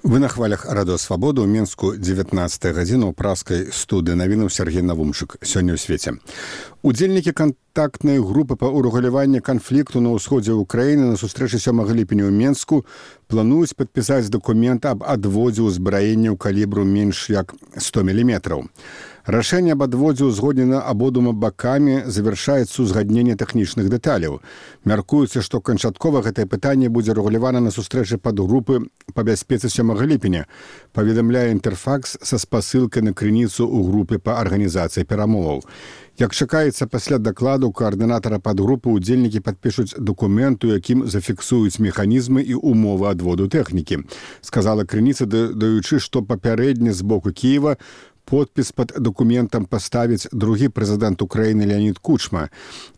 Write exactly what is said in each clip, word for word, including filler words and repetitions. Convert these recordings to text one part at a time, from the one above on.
Вы на хвалях радыё Свабода ў Мінску дзевятнаццатая гадзіна ў праскай студыі навінаў Сергей Навумчык. Сёння ў свеце. Удзельнікі кантактнай групы па ўрэгуляванні канфлікту на ўсходзе Ўкраіны на сустрэчы сёмага ліпеня ў Мінску плануюць падпісаць дакумент аб адводзе ўзбраенняў калібру менш як сто міліметраў. Рашэнне аб адводзе ўзгоднена абодвума бакамі, завяршаецца ўзгадненне тэхнічных дэталяў. Мяркуецца, што канчаткова гэтае пытанне будзе рэгулявана на сустрэчы падгрупы па бяспецы сёмага ліпеня, паведамляе Інтэрфакс са спасылкай на крыніцу ў групе па арганізацыі перамоваў. Як чакаецца, пасля дакладу каардынатара падгрупы удзельнікі падпішуць дакумент, у якім зафіксуюць механізмы і умовы адводу тэхнікі. Сказала крыніца, даючы, што папярэдне з боку Кіева подпіс пад дакументам паставіць другі прэзідэнт Украіны Леонід Кучма.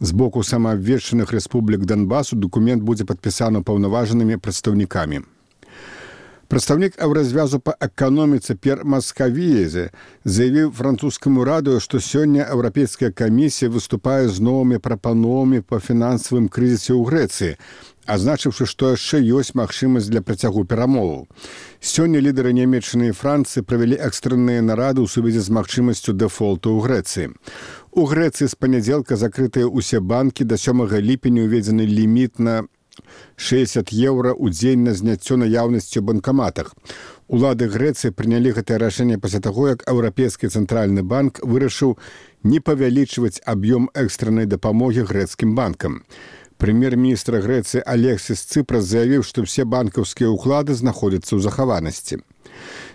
З боку самаабвешчаных рэспублік Донбасу дакумент будзе падпісаны паўнаважанымі прадстаўнікамі. Прадстаўнік Еўразвязу па эканоміцы П'ер Маскавіезе заявіў французскаму радыё, што сёння Еўрапейская камісія выступае з новымі прапановамі па фінансавым крызісе ў Грэцыі, азначыўшы, што яшчэ ёсць магчымасць для працягу перамоваў. Сёння лідары Нямецчыны і Францыі правялі экстранныя нарады ў сувязі з магчымасцю дэфолту ў Грэцыі. У Грэцыі з панядзелка закрытыя ўсе банкі, да сёмага ліпеня ўведзены ліміт на шэсцьдзесят еўра ў дзень на зняццё наяўнасці ў банкаматах. Улады Грэцыі прынялі гэтае рашэнне пасля таго, як Еўрапейскі цэнтральны банк вырашыў не павялічваць аб'ём экстраннай дапамогі грэцкім банкам. Прэм'ер-міністр Грэцыі Алексіс Цыпрас заявіў, што ўсе банкаўскія ўклады знаходзяцца ў захаванасці.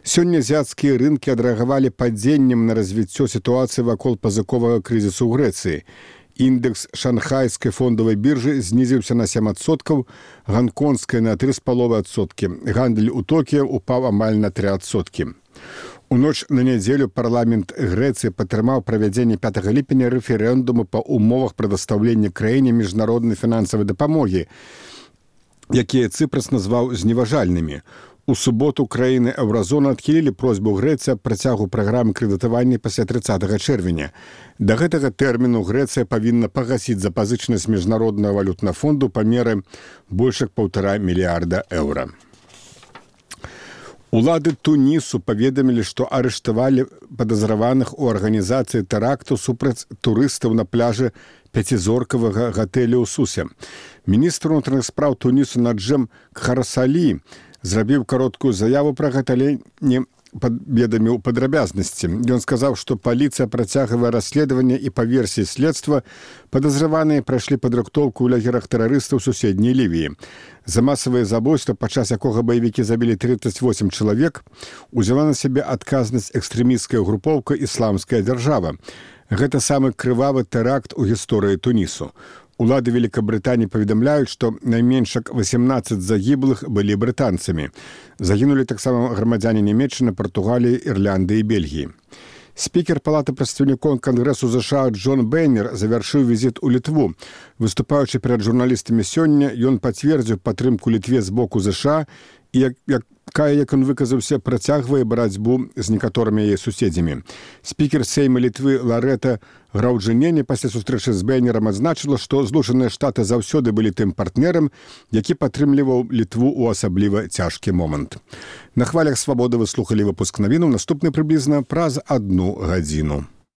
Сёння азіяцкія рынкі адрэагавалі падзеннем на развіццё сітуацыі вакол пазыковага крызісу ў Грэцыі. Індекс шанхайскай фондавай біржы знізіўся на сем адсоткаў, ганконгскай на тры з паловай адсоткі. Гандаль у Токіё упаў амаль на тры адсоткі. У ноч на нядзелю парламент Грэцыі падтрымаў правядзенне пятага ліпеня рэферэндуму па умовах прадастаўлення краіне міжнароднай фінансавай дапамогі, якія Цыпрас назваў зневажальнымі. У суботу краіны Еўразоны адхілілі просьбу Грэцыі аб працягу праграмы крэдытавання пасля трыццатага чэрвеня. Да гэтага тэрміну Грэцыя павінна пагасіць запазычанасць міжнароднага валютнага фонду па меры больш як паўтара мільярда еўра. Улады Тунісу паведамілі, што арыштавалі падазраваных у арганізацыі тэракту супраць турыстаў на пляжы пяцізоркавага гатэля ў Сусе. Міністр унутраных спраў Тунісу Наджем Кхарсалі зрабіў кароткую заяву пра гэта, але не паведаміў падрабязнасці. Ён сказаў, што паліцыя працягвае расследаванне і па версіі следства падазраваныя прайшлі падрыхтоўку ў лагерах тэрарыстаў суседняй Лівіі. За масавае забойства, падчас якога баевікі забілі трыццаць восем чалавек, узяла на сябе адказнасць экстрэмісцкая групоўка «Ісламская дзяржава». Гэта самы крывавы тэракт у гісторыі Тунісу. Улады Великабрытаніі паведамляюць, што найменш як васемнаццаць загіблых былі брытанцамі. Загінулі таксама грамадзяне Нямецчыны, Партугаліі, Ірландыі і Бельгіі. Спікер Палаты прадстаўнікоў Кангрэсу ЗША Джон Бейнер завяршыў візіт у Літву. Выступаючы перад журналістамі сёння, ён пацвердзіў падтрымку Літве з боку ЗША і, як, якая, як ён выказаўся, працягвае барацьбу з некаторымі яе суседзямі. Спікер Сейма Літвы Ларэта Граўджынене пасля сустрэчы з Бейнерам адзначыла, што Злучаныя Штаты заўсёды былі тым партнерам, які падтрымліваў Літву ў асабліва цяжкі момант. На хвалях Свабоды вы слухалі выпуск навінаў, наступны прыблізна праз адну гадзіну.